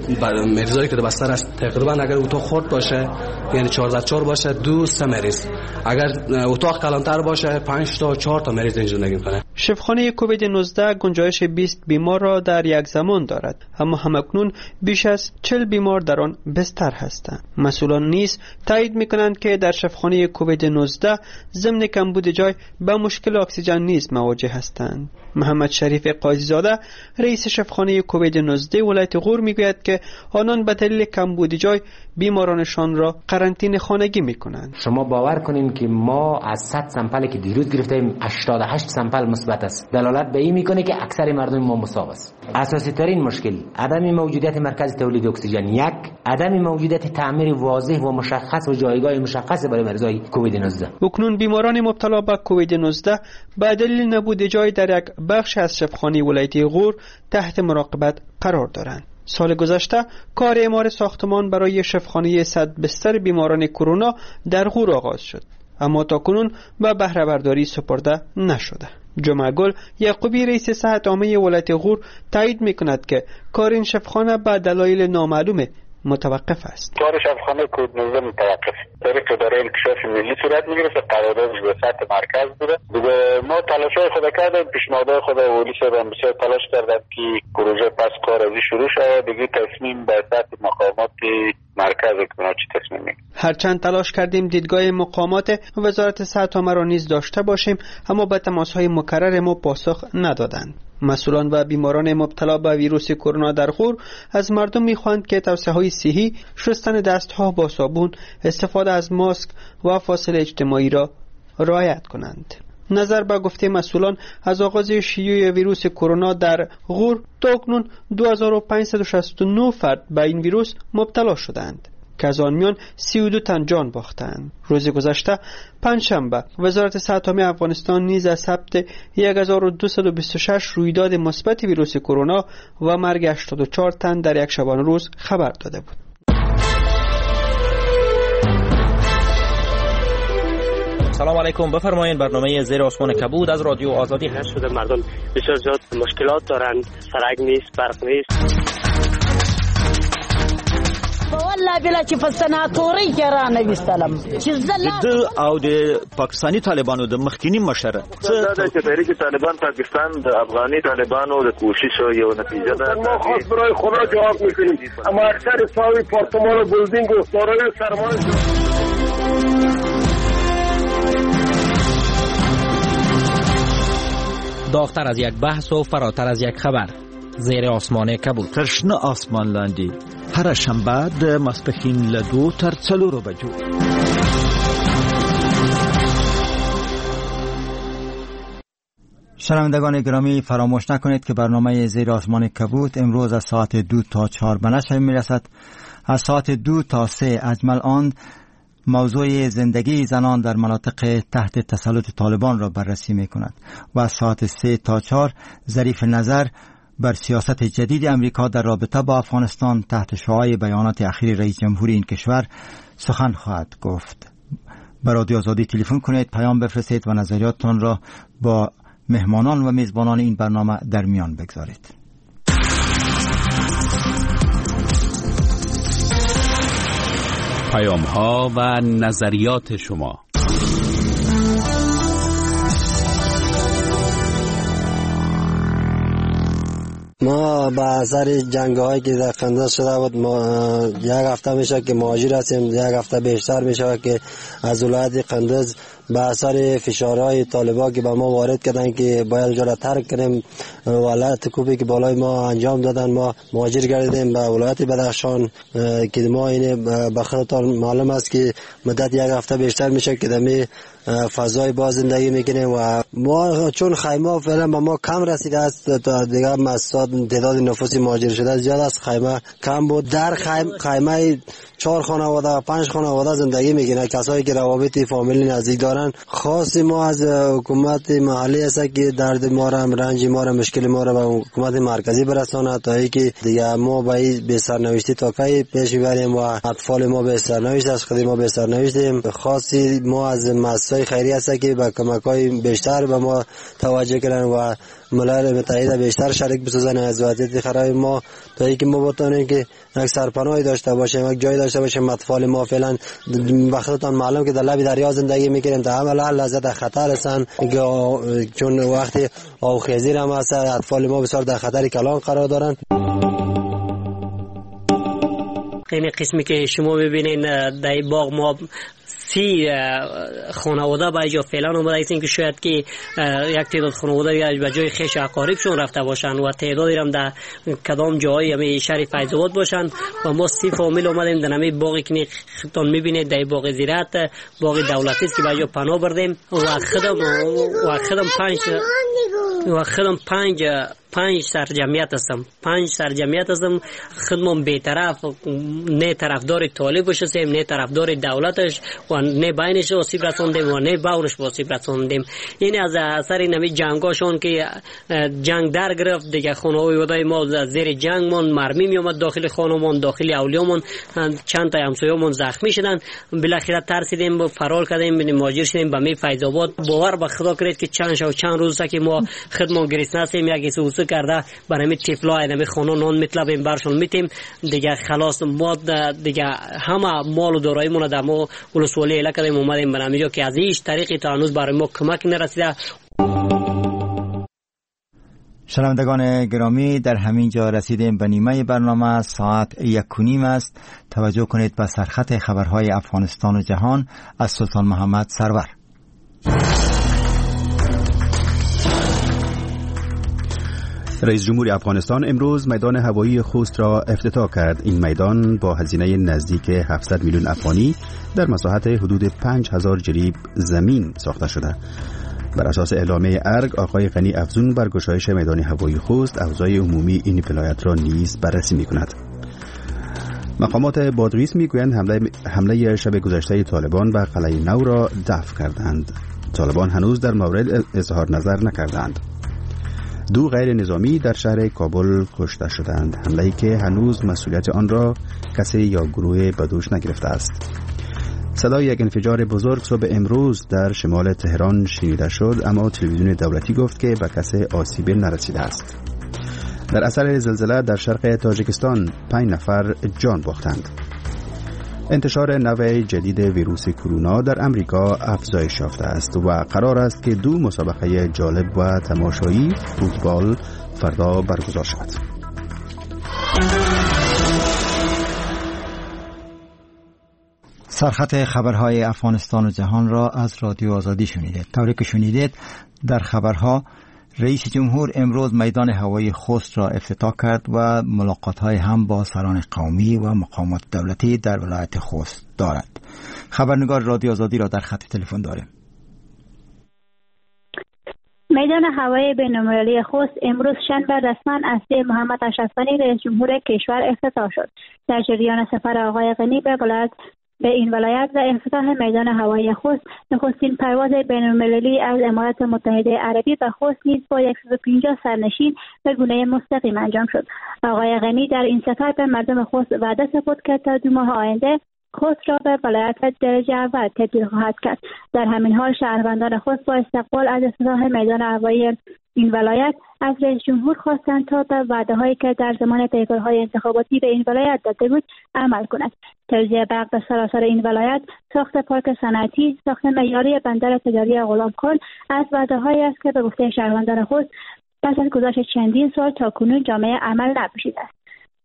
مریضایی که در بستر است تقریبا اگر اتاق خرد باشه یعنی 4x4 باشه 2 3 مریض، اگر اتاق کلانتر باشه 5 تا 4 تا مریض اینجا زندگی میکنه. شفاخانه کووید 19 گنجایش 20 بیمار را در یک زمان دارد، اما همکنون بیش از 40 بیمار در آن بستر هستند. مسئولان نیز تایید میکنند که در شفاخانه کووید 19 ضمن کمبود جای به مشکل اکسیژن نیز مواجه هستند. محمد شریف قاضی‌زاده، رئیس شفاخانه کووید 19 ولایت غور، میگوید که آنان به دلیل کمبود جای بیمارانشان را قرنطینه خانگی میکنند. شما باور کنین که ما از 100 sample که دیروز گرفتیم 88 sample مثبت است. دلالت به این میکنه که اکثر مردم ما مصاب است. اساسی ترین مشکل عدم موجودیت مرکز تولید اکسیژن یک، عدم موجودیت تعمیر واضح و مشخص و جایگاه مشخص برای مریضای کووید 19. اکنون بیماران مبتلا به کووید 19 به دلیل نبود جای در یک بخش از شفاخانه ولایتی غور تحت مراقبت قرار دارند. سال گذشته کار اعمار ساختمان برای شفاخانه 100 بستر بیماران کرونا در غور آغاز شد، اما تاکنون به بهره برداری سپرده نشده. جمعه گل یعقوبی، رئیس صحت عامه ولایت غور، تایید میکند که کار این شفاخانه به دلایل نامعلوم متوقف است. کار شفاخانه کووید 19 متوقف. طریق اداره انکشاف ملی صورت میگرفت، قراردادش به سطح مرکز بوده. دیگه ما تلاش‌های خود کردیم، پیشنهادهای خود ولی صاحب بسیار تلاش کردم که پروژه پس کار ازی شروع شود. دیگه تصمیم به سطح مقامات مرکز که چی تصمیم میگیره. هرچند تلاش کردیم دیدگاه مقامات وزارت صحت عامه را نیز داشته باشیم، اما به تماس‌های مکرر ما پاسخ ندادند. مسئولان و بیماران مبتلا به ویروس کرونا در غور از مردم میخواهند که توصیه‌های صحی، شستن دستها با صابون، استفاده از ماسک و فاصله اجتماعی را رعایت کنند. نظر به گفته مسئولان، از آغاز شیوع ویروس کرونا در غور تا اکنون 2569 فرد به این ویروس مبتلا شدند که از آن میان 32 تن جان باختند. روز گذشته پنجشنبه وزارت صحت عامه افغانستان نیز از ثبت 1226 رویداد مثبت ویروس کرونا و مرگ 84 تن در یک شبانه روز خبر داده بود. سلام علیکم، بفرمایید برنامه زیر آسمان کبود از رادیو آزادی. هر شده مردم بسیار زیاد مشکلات دارند، سرک نیست، برق نیست. والله بلا چې په سناتوري کې را نه وستلم چې زه او د پاکستاني طالبانو د مخکینی مشر دا چې تحریک طالبان پاکستان د افغاني طالبانو د کوشش یو نتیجه ده. ما خاص برای خدا جواب میکنیم، اما اکثر ساوی پارتمان و بلدینگ و دارای سرمایه. داغتر از یک بحث و فراتر از یک خبر، زیر آسمان کبود. تر شنه آسمان لاندې هره شنبه د ماسپښین له 2 تر 4 بجو. شنوندگان گرامی، فراموش نکنید که برنامه زیر آسمان کبود امروز از ساعت 2 تا 4 به نشر میرسد. از ساعت 2 تا 3 اجمل آن موضوع زندگی زنان در مناطق تحت تسلط طالبان را بررسی می کند و از ساعت 3 تا 4 ظریف نظر بر سیاست جدید امریکا در رابطه با افغانستان تحت شعاع بیانات اخیر رئیس جمهوری این کشور سخن خواهد گفت. به رادیو آزادی تلفن کنید، پیام بفرستید و نظریاتتان را با مهمانان و میزبانان این برنامه در میان بگذارید. پیام ها و نظریات شما. ما به اثر جنگ هایی که در قندوز شده بود، ما یک هفته میشه که مهاجر هستیم، یک هفته بیشتر میشه که از ولایت قندوز به اثر فشارهای طالبان که به ما وارد کردن که باید اونجا را ترک کنیم، ولایت کوبی که بالای ما انجام دادن، ما مهاجر گردیدیم به ولایت بدخشان که ما این به خودتان معلوم است که مدت یک هفته بیشتر میشه که دمی فضای باز زندگی میکنیم و ما چون خیمه فعلا به ما کم رسیده است، تا دیگه مساد تعداد نفوس مهاجر شده زیاد است، خیمه کم بود. در خیمه 4 خانواده 5 خانواده زندگی میکنه، کسایی که روابط فامیلی نزدیک دارن. خاص ما از حکومت محلی است که درد ما را، رنج ما را، مشکل ما را به حکومت مرکزی برساند تا اینکه دیگه ما به این بی سرنوشتی تا کی پیش بریم و اطفال ما به سرنوشت از خود ما به سرنوشتیم. خاصی ما از مؤسسات خیریه است که به کمک‌های بیشتر به ما توجه کنند و ملل متحد بیشتر شریک بسازن از وضعیت خراب ما تا اینکه ما بتونیم که یک سرپناهی داشته باشیم، یک جای داشته باشیم. اطفال ما فعلا وقتتان معلوم که در لب دریا زندگی میکنیم، تا همه لحظه در خطر هستن، چون وقتی آبخیزی هم هست، اطفال ما بسیار در خطر کلان قرار دارن. این قسمی که شما میبینین در باغ ما 30 خانواده به اینجا فعلا آمده هستیم که شاید که یک تعداد خانواده به جای خویش اقاربشون رفته باشن و تعدادی هم در کدام جایی همی شهر فیض آباد باشن و ما 30 فامیل آمدیم در همی باغی که خودتان میبینید، در باغ زیرت، باغ دولتی است که به اینجا پناه بردیم و خودم 5 سر جمعیت هستم، 5 سر جمعیت هستم. خودم بی‌طرف، نه طرفدار طالب هستیم، نه طرفدار دولتش و نه بینش آسیب رساندیم و نه باورش آسیب رساندیم. این از اثر این جنگاشون که جنگ در گرفت دیگه، خانه‌های ما از زیر جنگ من مرمی می اومد داخل خانه‌مون، داخل اولیامون، چند تا همسایه‌مون زخمی شدن. بالاخره ترسیدیم و فرار کردیم، مهاجر شدیم به می فیض آباد. باور به خدا کنید که چند شب چند روز که ما خودمون گرسنه هستیم، یک سوسو کرده برای طفلا اینمی خانه نان میطلبیم برشون میتیم دیگه. خلاص ما دیگه همه مال و داراییمون در ما ولسوالی اله کردیم، اومدیم به همینجا که از هیچ طریقی تا هنوز برای ما کمک نرسیده. شنوندگان گرامی، در همین جا رسیدیم به نیمه برنامه. ساعت 1:30 است. توجه کنید به سرخط خبرهای افغانستان و جهان از سلطان محمد سرور. رئیس جمهور افغانستان امروز میدان هوایی خوست را افتتاح کرد. این میدان با هزینه نزدیک 700 میلیون افغانی در مساحت حدود 5000 جریب زمین ساخته شده. بر اساس اعلامیه ارگ، آقای غنی افزون بر گشایش میدان هوایی خوست اوضاع عمومی این ولایت را نیز بررسی می‌کند. مقامات بادغیس می‌گویند حمله شب گذشته طالبان به قلعه نو را دفع کردند. طالبان هنوز در مورد اظهار نظر نکردند. 2 غیر نظامی در شهر کابل کشته شدند، حمله‌ای که هنوز مسئولیت آن را کسی یا گروه به دوش نگرفته است. صدای یک انفجار بزرگ صبح امروز در شمال تهران شنیده شد، اما تلویزیون دولتی گفت که به کسی آسیب نرسیده است. در اثر زلزله در شرق تاجیکستان 5 نفر جان باختند. انتشار نوع جدید ویروس کرونا در امریکا افزایش یافته است و قرار است که 2 مسابقه جالب و تماشایی فوتبال فردا برگزار شود. سرخط خبرهای افغانستان و جهان را از رادیو آزادی شنیدید. طوری که شنیدید در خبرها، رئیس جمهور امروز میدان هوایی خوست را افتتاح کرد و ملاقات‌های هم با سران قومی و مقامات دولتی در ولایت خوست دارد. خبرنگار رادیو آزادی را در خط تلفن داریم. میدان هوایی بین‌المللی خوست امروز شنبه رسما از سوی محمد اشرف غنی رئیس جمهور کشور افتتاح شد. در جریان سفر آقای غنی به این ولایت و افتتاح میدان هوایی خوست، نخستین پرواز بین‌المللی از امارات متحده عربی به خوست نیز با 150 سرنشین به گونه مستقیم انجام شد. آقای غنی در این سفر به مردم خوست وعده سپرد که تا 2 ماه آینده خوست را به ولایت درجه اول تبدیل خواهد کرد. در همین حال شهروندان خوست با استقبال از افتتاح میدان هوایی این ولایت از رئیس جمهور خواستند تا به وعده‌هایی که در زمان پیکارهای انتخاباتی به این ولایت داده بود عمل کند. توزیع برق به سراسر این ولایت، ساخت پارک صنعتی، ساخت معیاری بندر تجاری غلامخان از وعده‌هایی است که به گفته شهروندان خوست پس از گذشت چندین سال تا کنون جامعه عمل نپوشیده است.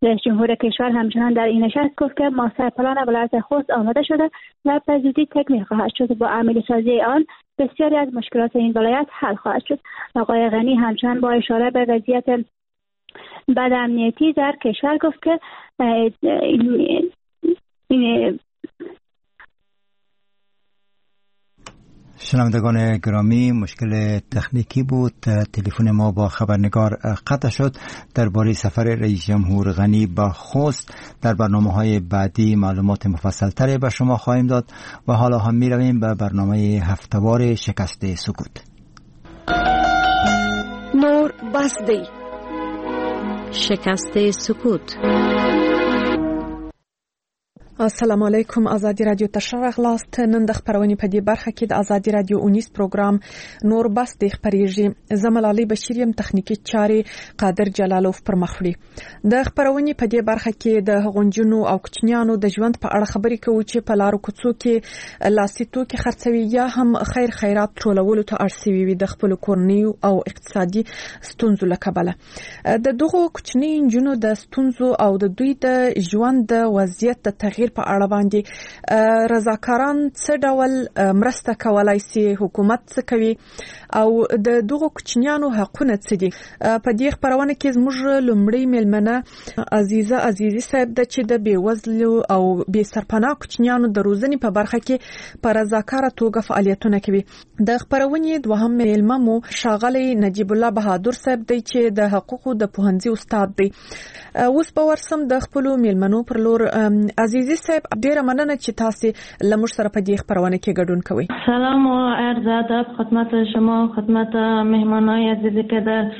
رئیس جمهور کشور همچنان در این نشست گفت که ماستر پلان ولایت خوست آماده شده و به زودی تکمیل خواهد شد. با عملی سازی آن بسیاری از مشکلات این ولایت حل خواهد شد. آقای غنی همچنان با اشاره به وضعیت بد امنیتی در کشور گفت که این شنوندگان گرامی، مشکل تکنیکی بود، تلفن ما با خبرنگار قطع شد. درباره سفر رئیس جمهور غنی به خوست در برنامه‌های بعدی معلومات مفصل‌تری به شما خواهیم داد و حالا هم می‌رویم به برنامه هفته‌وار شکست سکوت. نور بس دی، شکست سکوت. السلام علیکم، ازادي رادیو ته ښه راغلاست. نن د خپرونې په دې برخه کې د ازادي رادیو اونیز پروګرام نور بس دی خپرېږي. زه ملالۍ بشیر یم، تخنیکي چارې قادر جلالوف پر مخ وړي. د خپرونې په دې برخه کې د هغو نجونو او کوچنیانو د ژوند په اړه خبرې کوو چې په لارو کوڅو کې لاسي توکي خرڅوي یا هم خیر خیرات ټولولو ته اړ شوي وي د خپلو کورنیو او اقتصادي ستونزو له کبله. د دغو کوچنیو نجونو د ستونزو او د دوی د ژوند د وضعیت د تغییر بهیر په اړه باندې رضاکاران څه ډول مرسته کولای شي، حکومت څه کوي او د دغو کوچنیانو حقونه څه دي. په دې خپرونه کې زموږ لومړۍ میلمنه عزیزه عزیزي صاحب ده چې د بېوزلو او بې سرپناه کوچنیانو د روزنې په برخه کې په رضاکاره توګه فعالیتونه کوي. د خپرونې دوهم میلمه مو ښاغلی نجیب الله بهادر صاحب دی چې د حقوقو د پوهنځي استاد دی. اوس به ورسم د خپلو میلمنو پر لور. عزیزي صاحب، ډیره مننه چې تاسو له موږ سره په دې خپرونه کې ګډون کوئ. سلام و عرض ادب خدمت شما، خدمت مهمانای عزیزی که در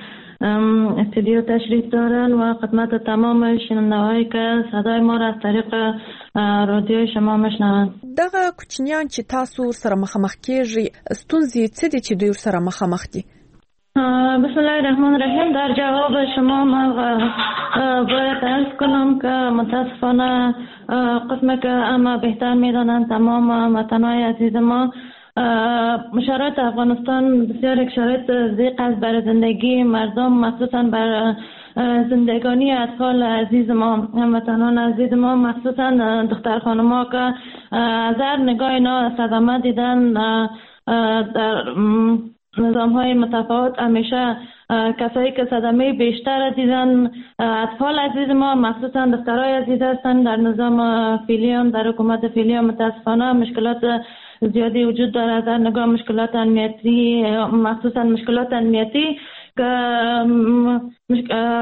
استودیو تشریف دارن و خدمت تمام شنونده‌هایی که صدای ما را از طریق رادیوی شما میشنوند. دغه کوچنیان چې تاسو ورسره مخامخ کیږئ، ستونزې څه دي چې دوی ورسره مخامخ دي؟ بسم الله الرحمن الرحیم. در جواب شما ما باید عرض کنم که متاسفانه قسم که اما بهتر میدانند تمام وطنهای عزیز ما، شرایط افغانستان بسیار یک شرایط ضیق است برای زندگی مردم، مخصوصا بر زندگانی اطفال عزیز ما، هموطنان عزیز ما، مخصوصا دختر خانم‌ها که از هر نگاه اینا صدمه دیدن در نظام های متفاوت. همیشه کسایی که صدمه بیشتر دیدن اطفال عزیز ما، مخصوصا دخترای عزیز هستند. در نظام فعلی، در حکومت فعلی متاسفانه مشکلات زیادی وجود دارد، در نگاه مشکلات امنیتی، مخصوصا مشکلات امنیتی که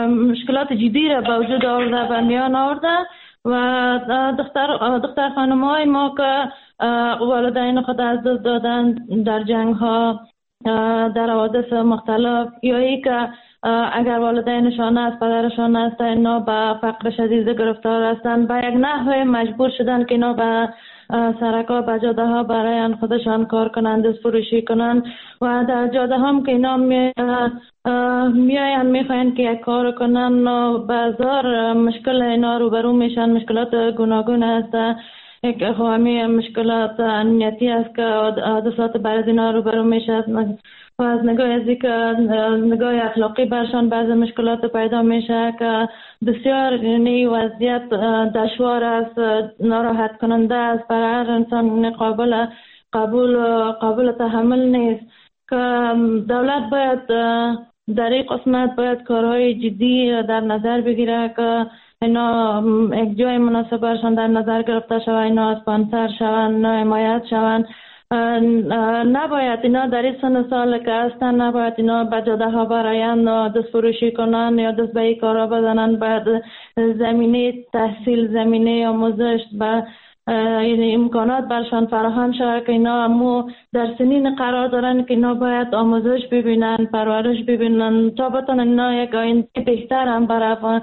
مشکلات جدی را به وجود آورده و میان آورده و دختر خانم های ما که والدین خود از دست دادن در جنگ ها، در حوادث مختلف، یا ای که اگر والدینشان است، پدرشان است، اینا به فقر شدید گرفتار هستند، به یک نحو مجبور شدن که اینا به سرک‌ها، به جاده ها برای خودشان کار کنند، دست فروشی کنند و در جاده هم که اینا میاین میخواین که یک کار کنن و بازار مشکل اینا روبرو میشن. مشکلات گوناگون است، یک خواهمی مشکلات امنیتی است که حادثات برای اینا روبرو میشه و از نگاه از که نگاه اخلاقی برشان بعض مشکلات پیدا میشه که بسیار یعنی وضعیت دشوار است، ناراحت کننده است، برای هر انسان قابل قبول قابل تحمل نیست که دولت باید در این قسمت باید کارهای جدی در نظر بگیره که اینا یک جای مناسب برشان در نظر گرفته شود، اینا اسپانسر شوند، اینا حمایت شوند. نباید اینا در این سن سال که هستن نباید اینا به جاده ها براین و دست فروشی کنن یا دست به این کارا بزنن. باید زمینه تحصیل، زمینه آموزش و یعنی امکانات برشان فراهم شود که اینا امو در سنین قرار دارن که اینا باید آموزش ببینن، پرورش ببینن تا بتونن اینا یک آینده بهتر هم برای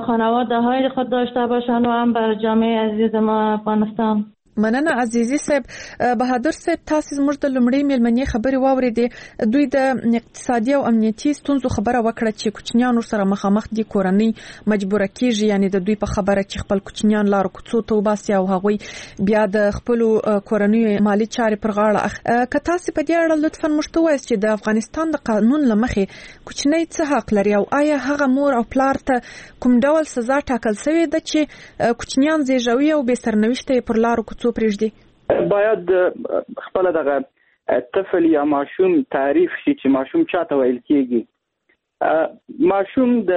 خانواده های خود داشته باشن و هم برای جامعه عزیز ما افغانستان. مننه عزیزي صاحب. بهادر صاحب، تاسو زموږ د لومړۍ میلمنې خبرې واورېدې. دوی د اقتصادي او امنیتي ستونزو خبره وکړه چې کوچنیان ورسره مخامخ دي، کورنۍ مجبوره کیږي، یعنی د دوی په خبره چې خپل کوچنیان لارو کوڅو ته وباسي او هغوی بیا د خپلو کورنیو مالي چارې پر غاړه اخلي. که تاسو په دې اړه لطفاً موږ ته ووایاست چې د افغانستان د قانون له مخې کوچنی څه حق لري او آیا هغه مور او پلار ته کوم ډول سزا ټاکل شوې ده چې کوچنیان زیږوي او بې سرنوشته یې پر لارو کوڅو پرېږدي؟ باید خپل دغه طفل یا ماشوم تعریف شي چې ماشوم چاته ویل کیږي. ماشوم د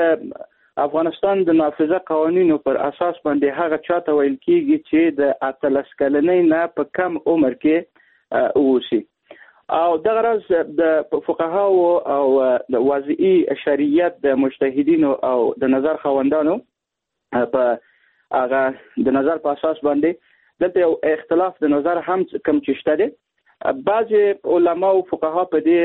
افغانستان د نافذه قوانینو پر اساس باندې هغه چاته ویل کیږي چې د 18 کلنۍ نه په کم عمر کې اوسي. او دغه راز د فقهاو او د وضعي شریعت د مجتهدینو او د نظر خاوندانو په هغه د نظر په اساس باندې دلته یو اختلاف د نظر هم کم چې شته دی. بعضې علما او فقها په دې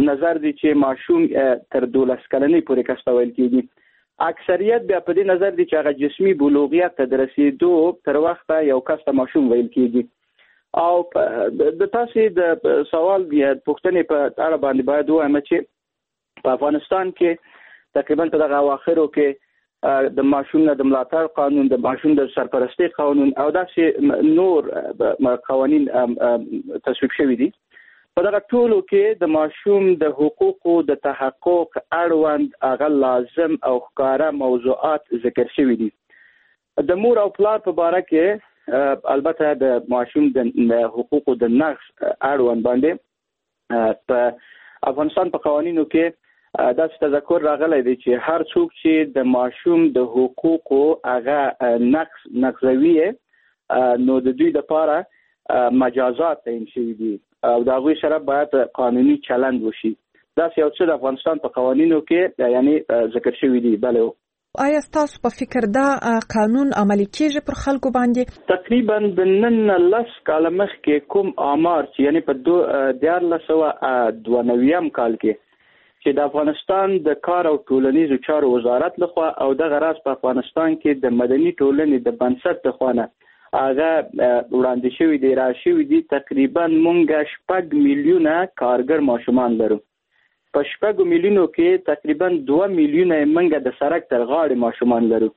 نظر دي چې ماشوم تر 12 کلنۍ پورې کس ته ویل کېږي. اکثریت بیا په دې نظر دي چې هغه جسمي بلوغیت ته د رسېدو تر وخته یو کس ته ماشوم ویل کېږي. او د تاسې د سوال یا پوښتنې په اړه باندې باید ووایم چې په افغانستان کې تقریبا په دغه اواخرو کې د ماشوم نه د ملاتړ قانون، د ماشوم د سرپرستۍ قانون او داسې نور قوانین تصویب شوي دي. په دغه ټولو کې د ماشوم د حقوقو د تحقق اړوند هغه لازم او ښکاره موضوعات ذکر شوي دي. د مور او پلار په باره کې البته د ماشوم د حقوقو د نقض اړوند باندې په افغانستان په قوانینو کې داسې تذکر راغلی دی چې هر څوک چې د ماشوم د حقوقو هغه نقضوي، نو د دوی لپاره مجازات تعین شوي دي او د هغوی سره باید قانوني چلند وشي. داسې یو څه د افغانستان په قوانینو کې یعنی ذکر شوي دي. بله، آیا ستاسو په فکر دا قانون عملي کیږي پر خلکو باندې؟ تقریبا د نن نه 10 کاله مخکې کوم آمار چې یعنی په 1392 کال کې چې د افغانستان د کار او ټولنیزو چارو وزارت لخوا او دغه راز په افغانستان کې د مدني ټولنې د بنسټ لخوا نه هغه وړاندې شوي دي، را شوي دي، تقریبا مونږ 6 میلیونه کارګر ماشومان لرو. په 6 میلیونو کې تقریبا 2 میلیونه مونږ د سړک تر غاړې ماشومان لرو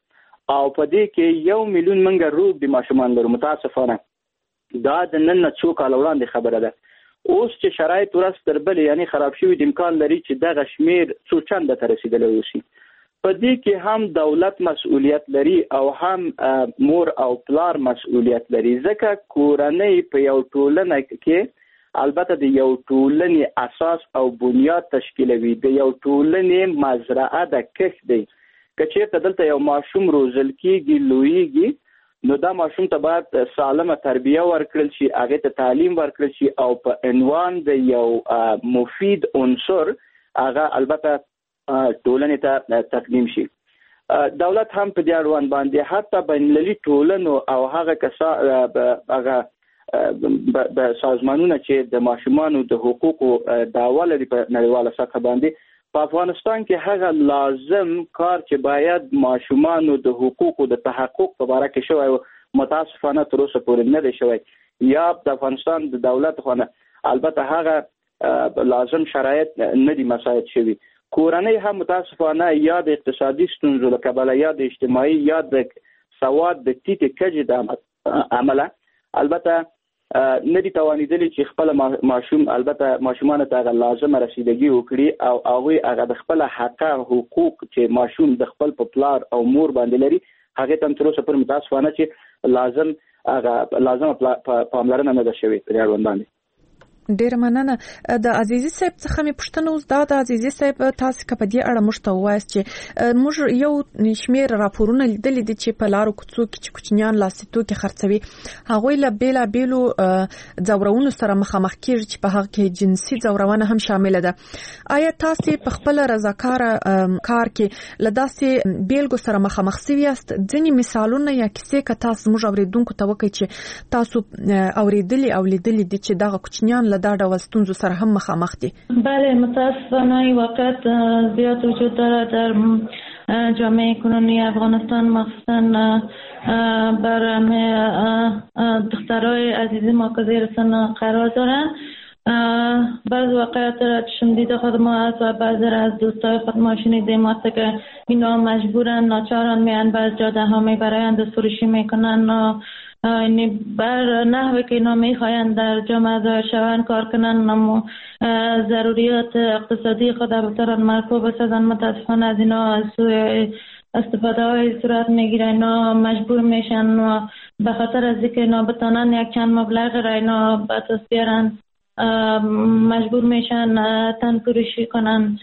او په دې کې 1 میلیون مونږ روږدي ماشومان لرو. متاسفانه دا د نن نه څو کاله وړاندې خبره ده. اوس چې شرایط ورځ تر بلې یعنی خراب شوي دي، امکان لري چې دغه شمېر څو چنده ته رسېدلی اوسي. په دې کې هم دولت مسؤلیت لري او هم مور او پلار مسؤلیت لري، ځکه کورنۍ په یو ټولنه کې البته د یو ټولنې اساس او بنیاد تشکیلوي، د یو ټولنې مزرعه ده، کښت دی. که چیرته دلته یو ماشوم روزل کیږي، لویږي، نو دا ماشوم ته باید سالمه تربیه ورکړل شي، هغې ته تعلیم ورکړل شي او په عنوان د یو مفید عنصر هغه البته ټولنې ته تقدیم شي. دولت هم په دې اړوند باندې حتی بین المللي ټولنو او هغه هغه سازمانونه چې د ماشومانو د حقوقو دعوه لري په نړیواله سطح باندې، په افغانستان کې هغه لازم کار چې باید ماشومانو د حقوقو د تحقق په باره کې شوی و، متاسفانه تر اوسه پورې نه دی شوی. یا د افغانستان د دولت خو نه البته هغه لازم شرایط نه دي مساعد شوي. کورنۍ هم متاسفانه یا د اقتصادي ستونزو له کبله یا د اجتماعي یا د سواد د ټیټې کچې د امله البته نه دي توانېدلي چې خپل ماشوم البته ماشومانو ته هغه لازمه رسیدګي وکړي او هغوی هغه د خپل حقه حقوق چې ماشوم د خپل په پلار او مور باندې لري هغې ته هم تر اوسه پورې متاسفانه چې لازم هغه لازمه پاملرنه نه ده شوې په دې اړوند باندې. ډیره مننه. د عزیزي صاحب څخه مې پوښتنه اوس دا ده، عزیزي صاحب تاسو که په دې اړه موږ ته ووایاست چې موږ یو شمېر راپورونه لیدلي دي چې په لارو کوڅو کې چې کوچنیان لاسي توکي خرڅوي، هغوی له بېلابېلو ځورونو سره مخامخ کیږي چې په هغه کې جنسي ځورونه هم شامله ده. آیا تاسو په خپل رضاکاره کار کې له داسې بیلګو سره مخامخ سوي یاست؟ ځینې مثالونه یا کیسې که تاسو موږ اورېدونکو ته وکړئ چې تاسو اورېدلي او لیدلي دي چې دغه کوچنیان له دا ډول ستونزو سره هم مخامخ دي. بله، متاسفانه این واقعیت زیاد وجود داره در جامعه کنونی افغانستان، مخصوصا بر دخترای عزیز ما که زیر سن قرار دارن. بعض واقعیت را چشم دیده خود ما است و بعضی را از دوستای خود ما شنیدیم وقتی که اینا مجبورن ناچارن میان بعض جاده ها میبرند و فروشی میکنن و یعنی بر نحوی که اینا میخواین در جامعه ظاهر شوند کار کنن، اما ضروریات اقتصادی خود بتوانند مرکوب بسازن. متاسفانه از اینا از سوی استفاده های صورت میگیره، اینا مجبور میشن و به خاطر از اینکه اینا بتانن یک چند مبلغ را اینا به دست بیارن مجبور میشن تن فروشی کنن.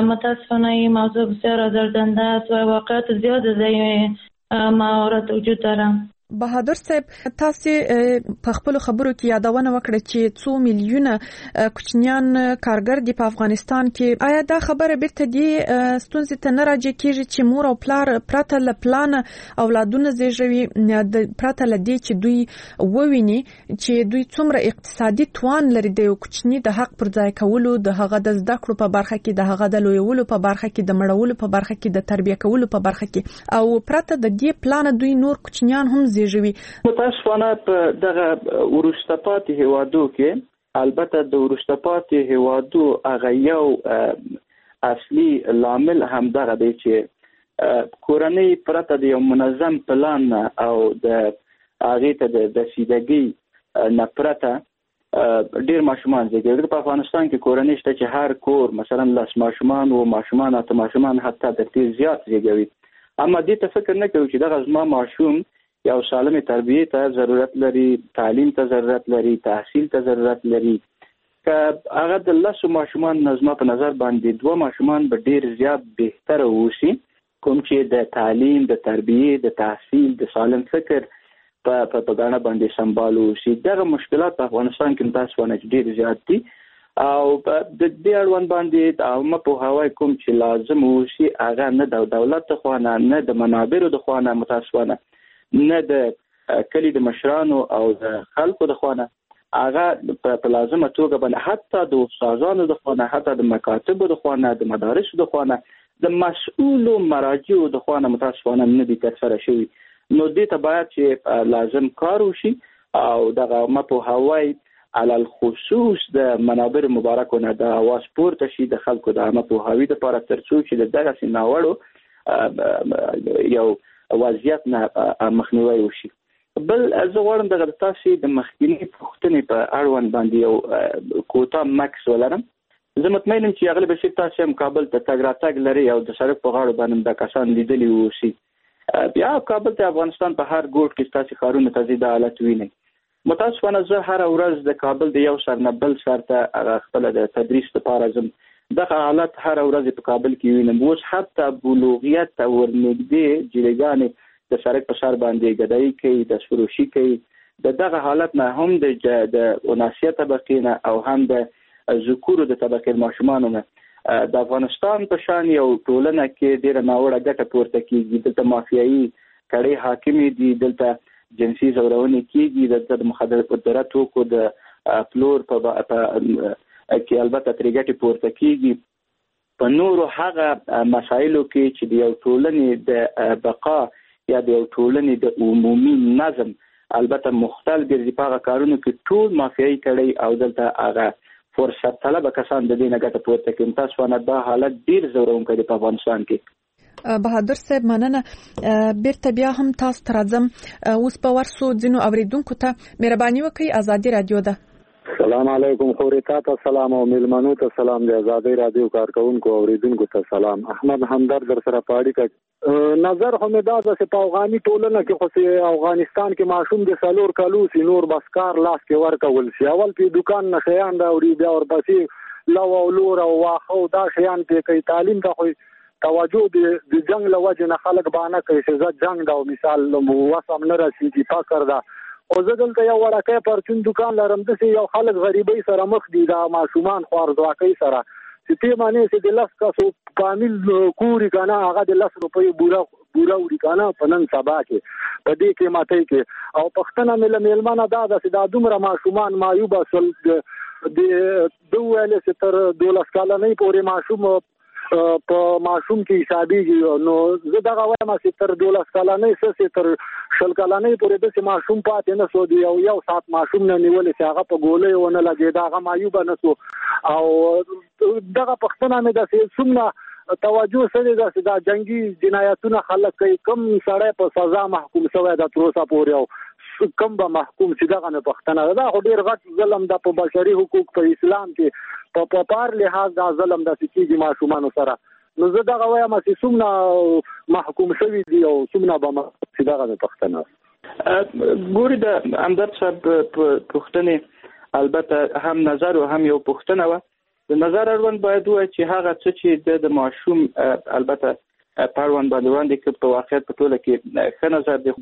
متاسفانه این موضوع بسیار آزاردهنده است و واقعیت زیاد از این موارد وجود داره. بهادر صاحب، تاسو په خپل خبرو کې یادونه وکړه چې څو میلیونه کوچنیان کارګر دي په افغانستان کې. آیا دا خبره بیرته دې ستونزې ته نه راجع کیږي چې مور او پلار پرته له پلانه اولادونه زیږوي، پرته له دې چې دوی وویني چې دوی څومره اقتصادي توان لري د یو کوچني د حق پر ځای کولو، د هغه د زده کړو په برخه کې، د هغه د لویولو په برخه کې، د مړولو په برخه کې، د تربیه کولو په برخه کې، او پرته د دې پلانه دوی نور کوچنیان هم زیږوي؟ متاسفانه په دغه وروسته پاتې هیوادو کې البته د وروسته پاتې هیوادو هغه یو اصلي لامل هم دغه دی چې کورنۍ پرته د یو منظم پلان نه او د هغې ته د رسیدګۍ نه پرته ډیر ماشومان زیږوي. په افغانستان کې کورنۍ شته چې هر کور مثلا 10 ماشومان و ماشومان 8 ماشومان حتی تر دې زیات زیږوي اما دې ته فکر نه کوي چې دغه زما ماشوم یو سالمې تربیې ته ضرورت لري، تعلیم ته ضرورت لري، تحصیل ته ضرورت لري. که هغه د 10 ماشومان نه زما په نظر باندې 2 ماشومان به ډیر زیات بهتره اوسي، کوم چې د تعلیم، د تربیې، د تحصیل، د سالم فکر په ګاڼه باندې سمبال اوسي. دغه مشکلات په افغانستان کې متاسفانه چې ډیر زیات دي او د دې اړوند باندې د عامه پوهاوی کوم چې لازم اوسي هغه نه د دولت د خوا نه، نه د منابرو د خوا نه، متاسفانه نه د کلي د مشرانو او د خلکو د خوا نه، هغه په لازمه توګه باندې حتی د استادانو د خوا نه، حتی د مکاتبو د خوا نه، د مدارسو د خوا نه، د مسؤلو مراجعو د خوا نه متاسفانه نه دي ترسره شوي. نو دې ته باید چې لازم کار وشي او دغه عامه پوهاوی علی الخصوص د منابر مبارکو نه د اواز پورته شي د خلکو د عامه پوهاوي دپاره، ترڅو چې د دغسې ناوړو یو وضعیت نه مخنیوی وشي. بل زه غواړم دغه د تاسې د مخکیني پوښتنې په اړوند باندې یو کوتاه مکس ولرم. زه مطمئن یم چې اغلې بشیر تاسې هم کابل ته تګ راتګ لرئ او د سړک په غاړو باندې دا کسان لیدلي اوسي. بیا کابل ته افغانستان په هر ګوټ کې ستاسې ښارونو ته ځئ دا حالت وینئ. متاسفانه زه هره ورځ د کابل د یو سر نه بل سر ته هغه خپله د تدریس لپاره ځم، دغه حالت هره ورځ په کابل کې وینم. اوس حتی بلوغیت ته ورنږدې جیلګانې د سړک په سر باندې ګدایي کوي، د فروشي کوي. د دغه حالت نه هم د اناسیه طبقې نه او هم د ذکورو د طبقې ماشومانو نه د افغانستان په شان یو ټولنه کې ډېره ناوړه ګټه پورته کیږي. دلته مافیایي کړۍ حاکمې دي، دلته جنسي ځورونې کیږي، دلته د مخدره توکو د پلور په کې البته ترې ګټې پورته کیږي. په نورو هغه مسایلو کې چې د یو ټولنې د بقا یا د یو ټولنې د عمومي نظم البته مختل ګرځي، په هغه کارونو کې ټول مافیایي کړۍ او دلته هغه فرصت طلبه کسان د دې نه ګټه پورته کوي. متاسفانه دا حالت ډېر ځورونکی دی په افغانستان کې. بهادر صاحب مننه. بیرته بیا هم تاسو ته راځم. اوس به ورسو ځینو اوریدونکو ته. مهرباني وکړئ، ازادي رادیو ده. سلام علیکم خورې، تا ته سلام او میلمنو ته سلام، د ازادي رادیو کارکوونکو اوریدونکو ته سلام. احمد همدرد در سره په اړیکه. نظر خو مې دا ده چې په افغاني ټولنه کې خو چې افغانستان کې ماشوم د 4 کلو سي نور بس کار لاس کې ورکول شي. اول پې دوکان نه شیان راوړي، بیا ورپسې لو او لور او واښه او دا شیان پې کوي. تعلیم ته خو توجه د جنگ له وجې نه خلک بانه کوي چې زه جنګ ده او مثال وسم نه رسېږي، فقر ده. خو زه دلته یو وړکی پرچون دوکان لرم، داسې یو خلک غریبۍ سره مخ دي، دا ماشومان خوارځواکۍ سره چې ته معنی چې د 10 کسو فامیل کوري که نه هغه د 10 روپۍ بوره وړي که نه په نن سبا کې په دې قیمتۍ کې. او پوښتنه مې له مېلمنه دا ده چې دا دومره ماشومان معیوبه سول، ده وویل چې تر 12 کلنۍ پورې ماشوم په ماشوم کې حسابېږي. نو زه دغه وایم چې تر 12 کلنۍ څه چې تر 20 کلنۍ پورې داسې ماشوم پاتې نه سو، د یو ساعت ماشوم نه نیولې چې هغه په ګولیو ونه لګېده، هغه معیوبه نه سو. او دغه پوښتنه مې ده چې څومره توجه سوې ده چې دا جنګي جنایتونه خلک کوي، کوم سړی په سزا محکوم سوی ده تر اوسه پورې او کوم به محکوم شي؟ دغه مې پوښتنه ده. دا خو ډېر غټ ظلم ده په بشري حقوق، په اسلام کې په پار لحاظ دا ظلم داسې کېږي ماشومانو سره. نو زه دغه وایم چې څومره محکوم شوي دي او څومره به محکوم شي، دغه مې پوښتنه ده. ګوري د همدرد صاحب پوښتنې البته هم نظر او هم یو پوښتنه وه. د نظر اړوند باید ووایو چې هغه څه چې د ماشوم البته په اړوند باندې وړاندې کړ په واقعیت په ټوله کې ښه نظر دی.